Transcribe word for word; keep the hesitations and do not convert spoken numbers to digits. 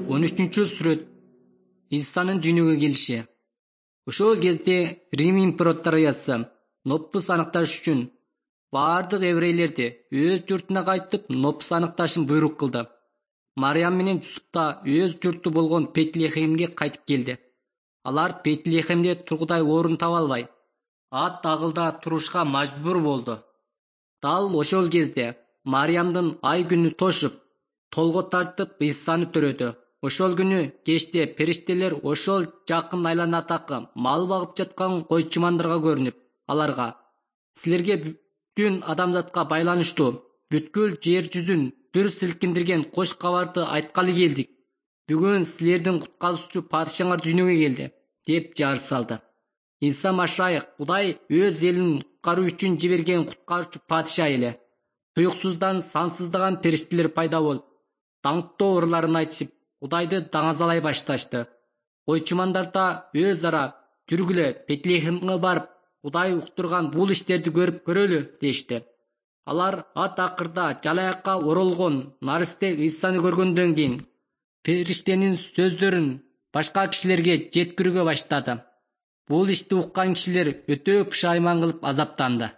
он үчүнчү сүрөт. Исанын дүйнөгө келиши. Ошол кезде Рим императориясы нопус аныкташ үчүн баардык еврейлерди өз журтуна кайтып нопус аныкташын буйрук кылды. Мариям менен Жусуп да өз журту болгон Бетлехемге кайтып келди. Алар Бетлехемде тургудай орун таба албай, ат агылда турушка мажбур болду. Дал ошол кезде Мариямдын ай күнү тошуп, толго тартып Исаны төрөдү. Ошол күнү кечте периштелер ошол жакын айланадагы мал багып жаткан койчумандарга көрүнүп, аларга: "Силерге бүтүн адамзатка байланыштуу, бүткүл жер жүзүн дүр силкиндирген кош кабарды айткалы келдик. Бүгүн силердин куткаруучу падышаңар дүйнөгө келди" деп жар салды. Иса Машайык Кудай өз элин куткаруу үчүн жиберген куткаруучу падыша эле. Туюксуздан сансыздаган периштелер пайда болуп, даңктоо ырларын айтышып, Кудайды даңазалай башташты. Койчумандар да өз ара: "Жүргүлө, Бетлехемге барып, Кудай уктурган бул иштерди көрүп көрөлү" дешти. Алар ат акырда жалаякка оролгон наристе Исаны көргөндөн кийин периштенин сөздөрүн башка кишилерге жеткирүүгө баштады. Бул ишти уккан кишилер өтө пушайман кылып азаптанды.